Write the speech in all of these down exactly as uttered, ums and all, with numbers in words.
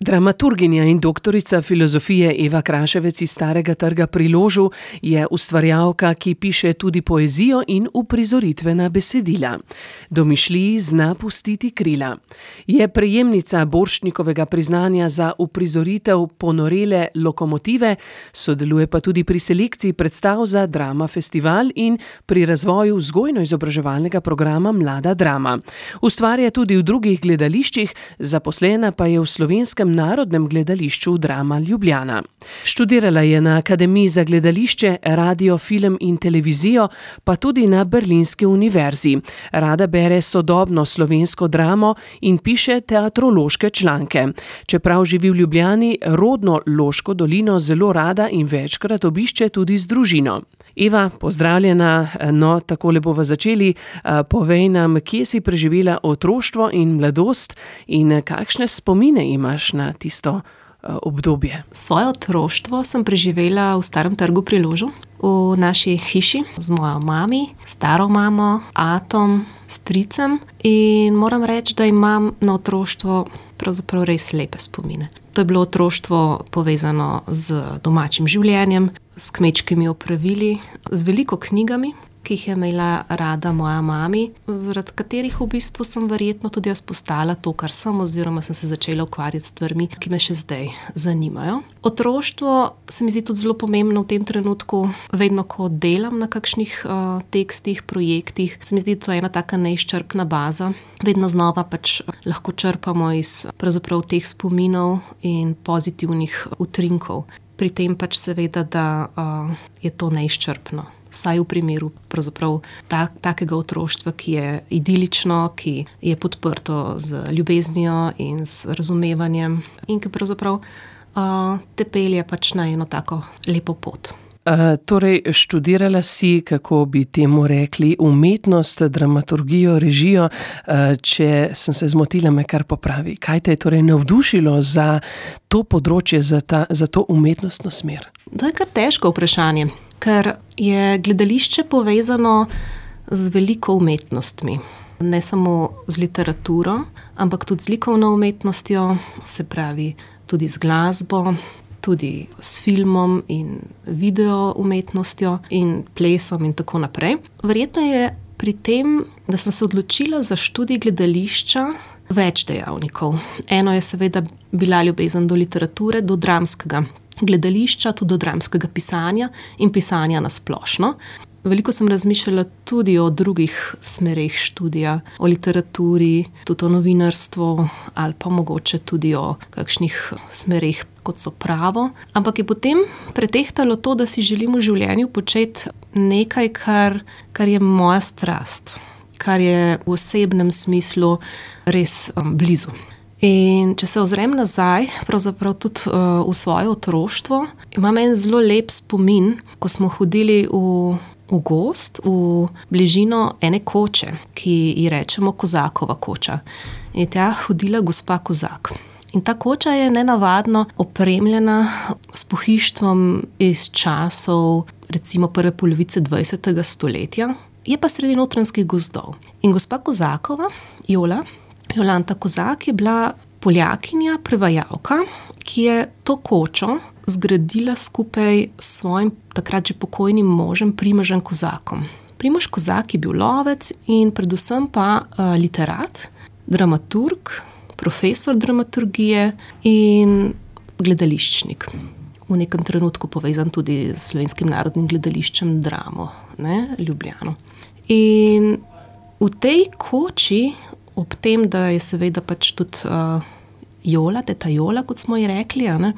Dramaturginja in doktorica filozofije Eva Kraševec iz Starega trga pri Ložu je ustvarjalka, ki piše tudi poezijo in uprizoritvena besedila. Domišljiji zna pustiti krila. Je prejemnica Borštnikovega priznanja za uprizoritev Ponorele lokomotive, sodeluje pa tudi pri selekciji predstav za Drama festival in pri razvoju vzgojno-izobraževalnega programa Mlada drama. Ustvarja tudi v drugih gledališčih, zaposlena pa je v Slovenskem Narodnem gledališču Drama Ljubljana. Študirala je na Akademiji za gledališče, radio, film in televizijo, pa tudi na Berlinski univerzi. Rada bere sodobno slovensko dramo in piše teatrološke članke. Čeprav živi v Ljubljani, rodno Loško dolino zelo rada in večkrat obišče tudi z družino. Eva, pozdravljena, no, takole bova začeli. Povej nam, kje si preživela otroštvo in mladost in kakšne spomine imaš na tisto obdobje? Svoje otroštvo sem preživela v Starem trgu pri Ložu, v naši hiši z mojo mami, staro mamo, atom, stricem, in moram reči, da imam na otroštvo pravzaprav res lepe spomine. To je bilo otroštvo povezano z domačim življenjem, s kmečkimi opravili, z veliko knjigami, ki jih je imela rada moja mami, zaradi katerih v bistvu sem verjetno tudi jaz postala to, kar sem, oziroma sem se začela ukvarjati s stvarmi, ki me še zdaj zanimajo. Otroštvo se mi zdi tudi zelo pomembno v tem trenutku, vedno ko delam na kakšnih uh, tekstih, projektih, se mi zdi to ena taka neizčrpna baza. Vedno znova pač lahko črpamo iz pravzaprav teh spominov in pozitivnih utrinkov. Pri tem pač seveda, da uh, je to neizčrpno. Vsaj v primeru pravzaprav tak, takega otroštva, ki je idilično, ki je podprto z ljubeznijo in z razumevanjem in ki pravzaprav uh, te pelje pač na eno tako lepo pot. Uh, torej, študirala si, kako bi temu rekli, umetnost, dramaturgijo, režijo. Uh, če sem se zmotila, me kar popravi. Kaj te je torej navdušilo za to področje, za, ta, za to umetnostno smer? To je kar težko vprašanje, ker je gledališče povezano z veliko umetnostmi. Ne samo z literaturo, ampak tudi z likovno umetnostjo, se pravi tudi z glasbo, tudi s filmom in video umetnostjo in plesom in tako naprej. Verjetno je pri tem, da sem se odločila za študij gledališča, več dejavnikov. Eno je seveda bila ljubezen do literature, do dramskega gledališča, tudi do dramskega pisanja in pisanja na splošno. Veliko sem razmišljala tudi o drugih smereh študija, o literaturi, tudi o novinarstvu ali pa mogoče tudi o kakšnih smereh, kot so pravo. Ampak je potem pretehtalo to, da si želim v življenju početi nekaj, kar, kar je moja strast, kar je v osebnem smislu res um, blizu. In če se ozrem nazaj, pravzaprav tudi uh, v svoje otroštvo, imam en zelo lep spomin, ko smo hodili v v gozd, v bližino ene koče, ki ji rečemo Kozakova koča. In tja hodila gospa Kozak. In ta koča je nenavadno opremljena s pohištvom iz časov, recimo prve polovice dvajsetega stoletja, je pa sredi notranjskih gozdov. In gospa Kozakova, Jola, Jolanta Kozak, je bila Poljakinja, prevajalka, ki je to kočo zgradila skupaj s svojim takrat že pokojnim možem Primožem Kozakom. Primož Kozak je bil lovec in predvsem pa uh, literat, dramaturg, profesor dramaturgije in gledališčnik. V nekem trenutku povezan tudi s Slovenskim narodnim gledališčem Dramo, ne, Ljubljano. In v tej koči, ob tem, da je seveda pač tudi uh, Jola, teta Jola, kot smo ji rekli, ne,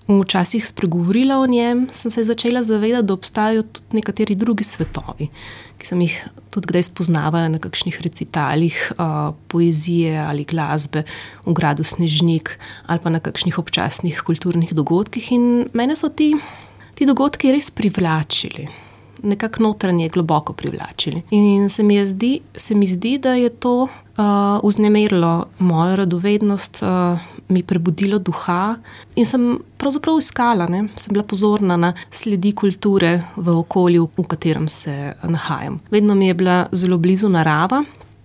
včasih spregovorila o njem, sem se začela zavedati, da obstajajo tudi nekateri drugi svetovi, ki sem jih tudi kdaj spoznavala na kakšnih recitalih uh, poezije ali glasbe v gradu Snežnik ali pa na kakšnih občasnih kulturnih dogodkih, in mene so ti, ti dogodki res privlačili. Nekako notranje globoko privlačili. In se mi, je zdi, se mi zdi, da je to uh, vznemirilo mojo radovednost, uh, mi prebudilo duha in sem pravzaprav iskala, ne? Sem bila pozorna na sledi kulture v okolju, v katerem se nahajam. Vedno mi je bila zelo blizu narava.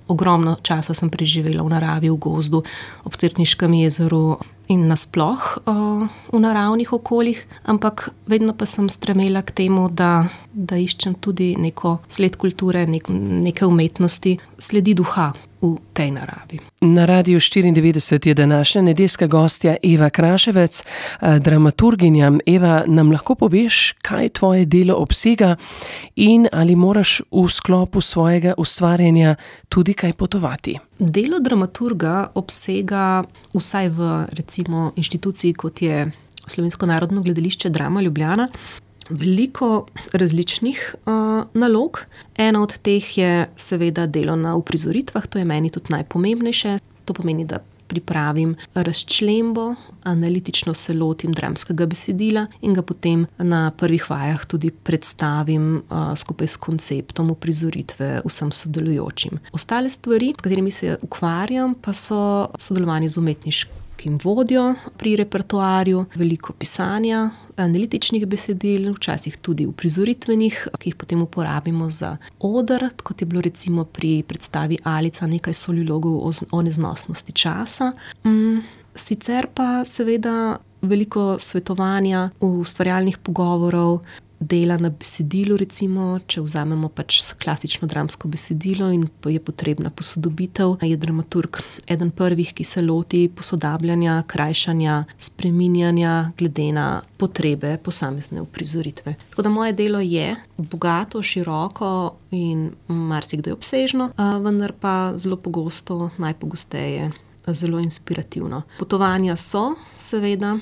Ogromno časa sem preživela v naravi, v gozdu, ob Cerkniškem jezeru in nasploh uh, v naravnih okoljih, ampak vedno pa sem stremela k temu, da, da iščem tudi neko sled kulture, nek, neke umetnosti, sledi duha v tej naravi. Na Radiu štiriindevetdeset je današnja nedeljska gostja Eva Kraševec, dramaturginja. Eva, nam lahko poveš, kaj tvoje delo obsega in ali moraš v sklopu svojega ustvarjanja tudi kaj potovati? Delo dramaturga obsega vsaj v recimo inštituciji, kot je Slovensko narodno gledališče Drama Ljubljana, veliko različnih uh, nalog. Ena od teh je seveda delo na uprizoritvah, to je meni tudi najpomembnejše. To pomeni, da pripravim razčlembo, analitično se lotim dramskega besedila in ga potem na prvih vajah tudi predstavim uh, skupaj s konceptom uprizoritve vsem sodelujočim. Ostale stvari, s katerimi se ukvarjam, pa so sodelovanje z umetniškim vodjo pri repertoarju, veliko pisanja, analitičnih besedil, včasih tudi uprizoritvenih, ki jih potem uporabimo za oder, kot je bilo recimo pri predstavi Alica nekaj solilogov o, o neznosnosti časa. Mm, sicer pa seveda veliko svetovanja, ustvarjalnih pogovorov, dela na besedilu, recimo, če vzamemo pač klasično dramsko besedilo in je potrebna posodobitev, je dramaturg eden prvih, ki se loti posodabljanja, krajšanja, spreminjanja glede na potrebe posamezne uprizoritve. Tako da moje delo je bogato, široko in marsikdaj obsežno, vendar pa zelo pogosto, najpogosteje zelo inspirativno. Potovanja so, seveda,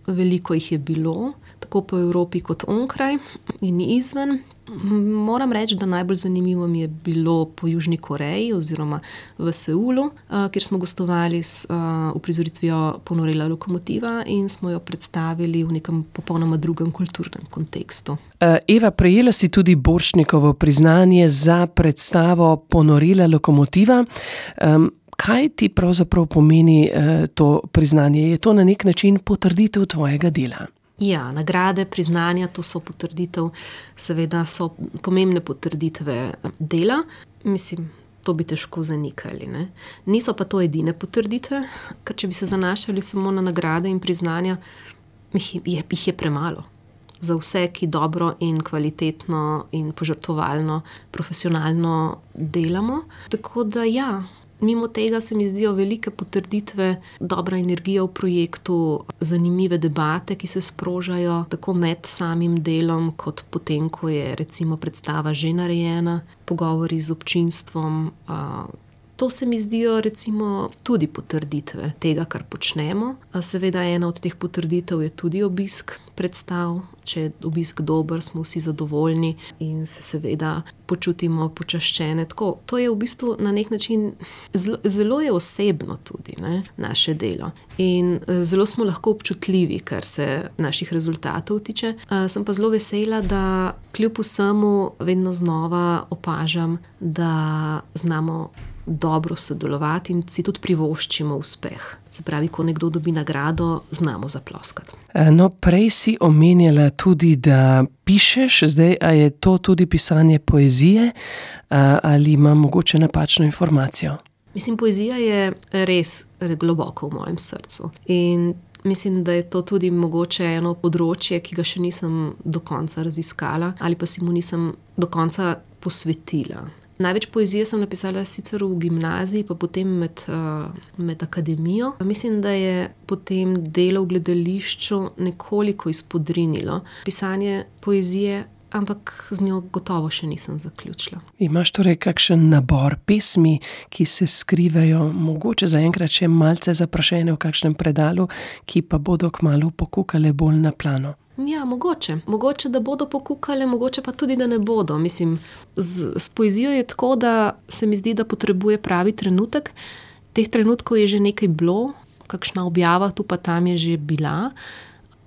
veliko jih je bilo, tako po Evropi kot onkraj in izven. Moram reči, da najbolj zanimivo mi je bilo po Južni Koreji oziroma v Seulu, kjer smo gostovali s uprizoritvijo Ponorela lokomotiva in smo jo predstavili v nekem popolnoma drugem kulturnem kontekstu. Eva, prejela si tudi Borštnikovo priznanje za predstavo Ponorela lokomotiva. Kaj ti pravzaprav pomeni to priznanje? Je to na nek način potrditev tvojega dela? Ja, nagrade, priznanja, to so potrditev, seveda so pomembne potrditve dela. Mislim, to bi težko zanikali, ne? Niso pa to edine potrditve, ker če bi se zanašali samo na nagrade in priznanja, jih je, jih je premalo. Za vse, ki dobro in kvalitetno in požrtvovalno, profesionalno delamo. Tako da ja, mimo tega se mi zdijo velike potrditve, dobra energija v projektu, zanimive debate, ki se sprožajo tako med samim delom, kot potem, ko je recimo predstava že narejena, pogovori z občinstvom. To se mi zdijo recimo tudi potrditve tega, kar počnemo. Seveda ena od teh potrditev je tudi obisk predstav. Če je obisk dober, smo vsi zadovoljni in se seveda počutimo počaščene. Tako, to je v bistvu na nek način zelo, zelo je osebno tudi, ne, naše delo. In zelo smo lahko občutljivi, kar se naših rezultatov tiče. Sem pa zelo vesela, da kljub vsemu vedno znova opažam, da znamo dobro sodelovati in si tudi privoščimo uspeh. Se pravi, ko nekdo dobi nagrado, znamo zaploskati. No, prej si omenjala tudi, da pišeš, zdaj, a je to tudi pisanje poezije ali imam mogoče napačno informacijo? Mislim, poezija je res globoko v mojem srcu in mislim, da je to tudi mogoče eno področje, ki ga še nisem do konca raziskala ali pa si mu nisem do konca posvetila. Največ poezije sem napisala sicer v gimnaziji, pa potem med, med akademijo. Mislim, da je potem delo v gledališču nekoliko izpodrinilo pisanje poezije, ampak z njo gotovo še nisem zaključila. Imaš torej kakšen nabor pesmi, ki se skrivajo, mogoče zaenkrat še malce zaprašene v kakšnem predalu, ki pa bodo kmalu pokukale bolj na plano? Ja, mogoče. Mogoče, da bodo pokukale, mogoče pa tudi, da ne bodo. Mislim, z, s poezijo je tako, da se mi zdi, da potrebuje pravi trenutek. Teh trenutkov je že nekaj bilo, kakšna objava tu pa tam je že bila.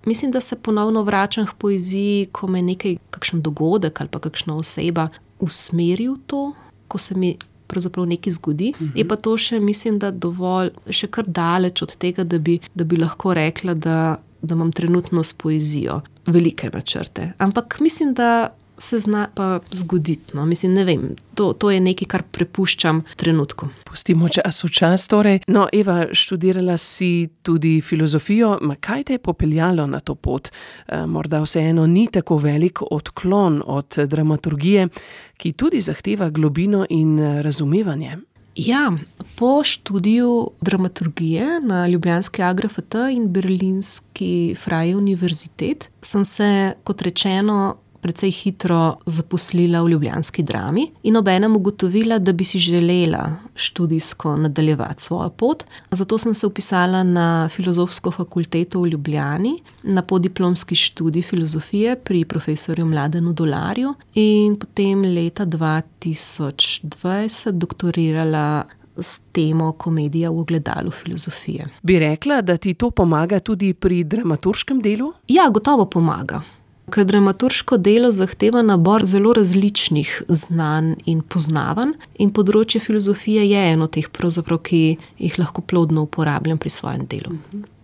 Mislim, da se ponovno vračam k poeziji, ko me nekaj, kakšen dogodek ali pa kakšna oseba usmeri v to, ko se mi pravzaprav nekaj zgodi. Mhm. Je pa to še, mislim, da dovolj, še kar daleč od tega, da bi, da bi lahko rekla, da da imam trenutno s poezijo velike načrte. Ampak mislim, da se zna pa zgoditi. No. Mislim, ne vem, to, to je nekaj, kar prepuščam trenutku. Pustimo čas v čas torej. No, Eva, študirala si tudi filozofijo. Ma kaj te je popeljalo na to pot? E, morda vseeno ni tako velik odklon od dramaturgije, ki tudi zahteva globino in razumevanje. Ja, po študiju dramaturgije na ljubljanski A G R F T in berlinski Freie Universität sem se, kot rečeno, precej hitro zaposlila v ljubljanski Drami in obenem ugotovila, da bi si želela študijsko nadaljevati svojo pot. Zato sem se vpisala na Filozofsko fakulteto v Ljubljani, na podiplomski študij filozofije pri profesorju Mladenu Dolarju in potem leta dva tisoč dvajset doktorirala s temo Komedija v ogledalu filozofije. Bi rekla, da ti to pomaga tudi pri dramaturškem delu? Ja, gotovo pomaga. Ker dramaturško delo zahteva nabor zelo različnih znanj in poznavanj in področje filozofije je eno teh, pravzaprav, ki jih lahko plodno uporabljam pri svojem delu.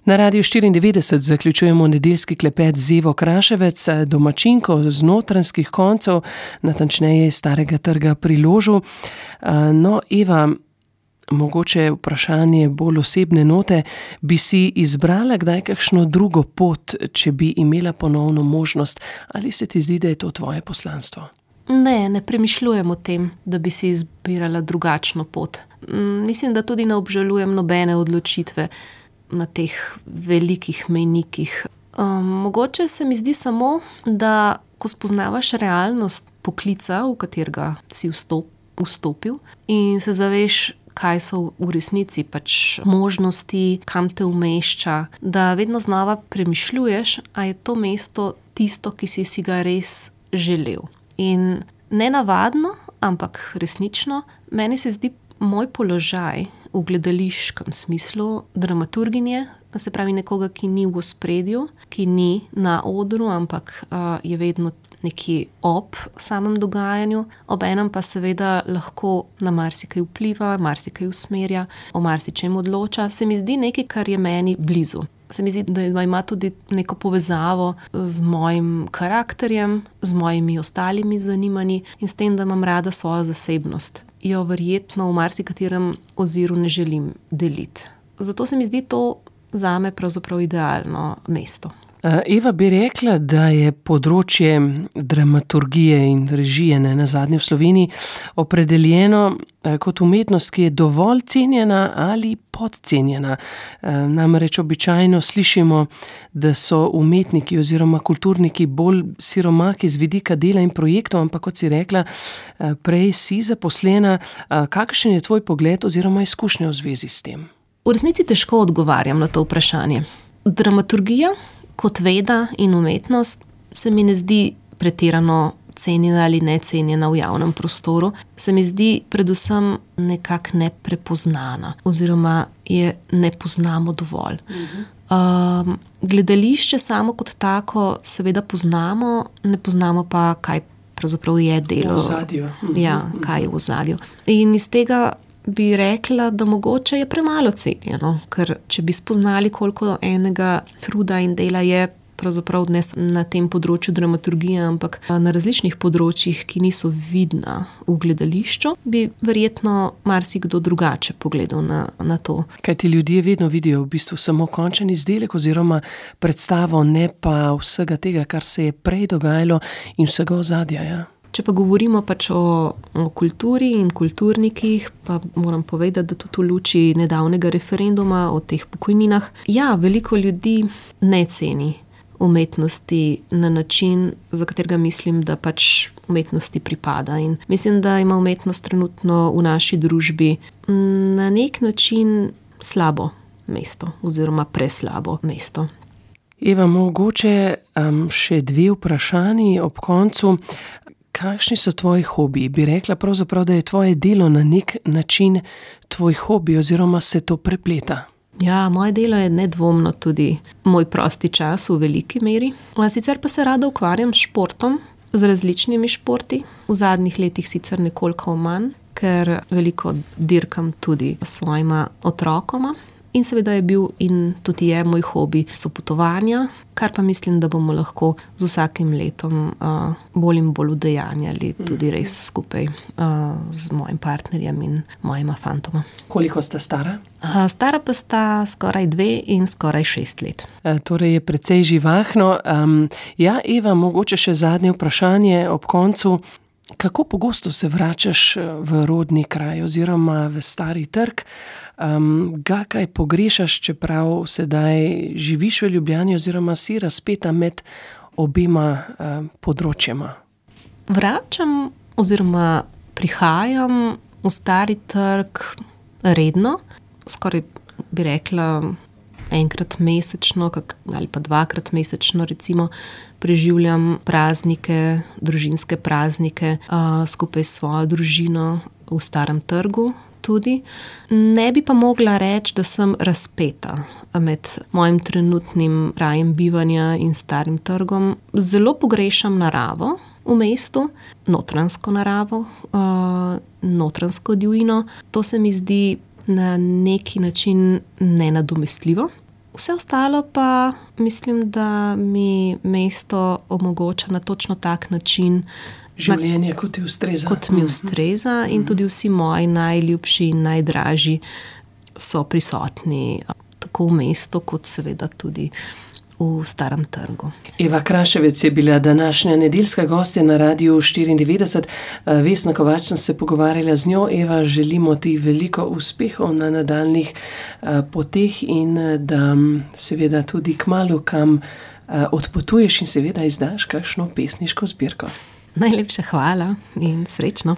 Na Radiu štiriindevetdeset zaključujemo nedeljski klepet z Evo Kraševec, domačinko z Notranjskih koncev, natančneje Starega trga pri Ložu. No, Eva, mogoče vprašanje bolj osebne note, bi si izbrala kdaj kakšno drugo pot, če bi imela ponovno možnost, ali se ti zdi, da je to tvoje poslanstvo? Ne, ne premišljujem o tem, da bi si izbirala drugačno pot. Mislim, da tudi ne obžalujem nobene odločitve na teh velikih mejnikih. Um, mogoče se mi zdi samo, da ko spoznavaš realnost poklica, v katerega si vstop, vstopil in se zaveš, kaj so v resnici pač možnosti, kam te umešča, da vedno znova premišljuješ, a je to mesto tisto, ki si si ga res želel. In nenavadno, ampak resnično, meni se zdi moj položaj v gledališkem smislu dramaturginje, se pravi nekoga, ki ni v ospredju, ki ni na odru, ampak uh, je vedno nekje ob samem dogajanju, obenem pa seveda lahko na marsikaj vpliva, marsikaj usmerja, o marsičem odloča, se mi zdi nekaj, kar je meni blizu. Se mi zdi, da ima tudi neko povezavo z mojim karakterjem, z mojimi ostalimi zanimanji in s tem, da imam rada svojo zasebnost. Jo verjetno v marsikaterem oziru ne želim deliti. Zato se mi zdi to zame pravzaprav idealno mesto. Eva, bi rekla, da je področje dramaturgije in režije ne nazadnje v Sloveniji opredeljeno kot umetnost, ki je dovolj cenjena ali podcenjena. Namreč običajno slišimo, da so umetniki oziroma kulturniki bolj siromaki z vidika dela in projektov, ampak kot si rekla, prej si zaposlena. Kakšen je tvoj pogled oziroma izkušnja v zvezi s tem? V resnici težko odgovarjam na to vprašanje. Dramaturgija kot veda in umetnost se mi ne zdi pretirano cenjena ali necenjena v javnem prostoru. Se mi zdi predvsem nekako neprepoznana oziroma je ne poznamo dovolj. Um, gledališče samo kot tako seveda poznamo, ne poznamo pa, kaj pravzaprav je delo. V ozadju. Ja, kaj je v ozadju. In iz tega bi rekla, da mogoče je premalo cenjeno, ker če bi spoznali, koliko enega truda in dela je pravzaprav ne na tem področju dramaturgije, ampak na različnih področjih, ki niso vidna v gledališču, bi verjetno marsikdo drugače pogledal na, na to. Kaj ti ljudje vedno vidijo v bistvu samo končen izdelek oziroma predstavo, ne pa vsega tega, kar se je prej dogajalo in vsega ozadja, ja? Če pa govorimo pač o, o kulturi in kulturnikih, pa moram povedati, da tudi v luči nedavnega referenduma o teh pokojninah, ja, veliko ljudi ne ceni umetnosti na način, za katerega mislim, da pač umetnosti pripada. In mislim, da ima umetnost trenutno v naši družbi na nek način slabo mesto oziroma preslabo mesto. Eva, mogoče um, še dve vprašanji ob koncu. Kakšni so tvoji hobiji? Bi rekla pravzaprav, da je tvoje delo na nek način tvoj hobi oziroma se to prepleta? Ja, moje delo je nedvomno tudi moj prosti čas v veliki meri. Sicer pa se rada ukvarjam s športom, z različnimi športi. V zadnjih letih sicer nekoliko manj, ker veliko dirkam tudi s svojima otrokoma. In seveda je bil in tudi je moj hobi sopotovanja, kar pa mislim, da bomo lahko z vsakim letom uh, bolj in bolj udejanjali tudi res skupaj uh, z mojim partnerjem in mojima fantoma. Koliko sta stara? Uh, stara pa sta skoraj dve in skoraj šest let. E, torej je precej živahno. Um, ja, Eva, mogoče še zadnje vprašanje ob koncu. Kako pogosto se vračaš v rodni kraj oziroma v Stari Trg? Um, ga kaj pogrešaš, čeprav sedaj živiš v Ljubljani oziroma si razpeta med obema um, področjema? Vračam oziroma prihajam v Stari Trg redno, skoraj bi rekla enkrat mesečno ali pa dvakrat mesečno recimo preživljam praznike, družinske praznike uh, skupaj s svojo družino v Starem Trgu tudi. Ne bi pa mogla reči, da sem razpeta med mojim trenutnim krajem bivanja in Starim Trgom. Zelo pogrešam naravo v mestu, notranjsko naravo, uh, notranjsko divjino. To se mi zdi na neki način nenadomestljivo. Vse ostalo pa mislim, da mi mesto omogoča na točno tak način življenje, kot ti ustreza. Kot mi ustreza in tudi vsi moji najljubši in najdražji so prisotni tako v mestu, kot seveda tudi v Starem Trgu. Eva Kraševec je bila današnja nedeljska gostja na Radiu štiriindevetdeset. Vesna Kovač sem se pogovarjala z njo. Eva, želimo ti veliko uspehov na nadaljnih poteh in da seveda tudi kmalu kam odpotuješ in seveda izdaš kakšno pesniško zbirko. Najlepša hvala in srečno.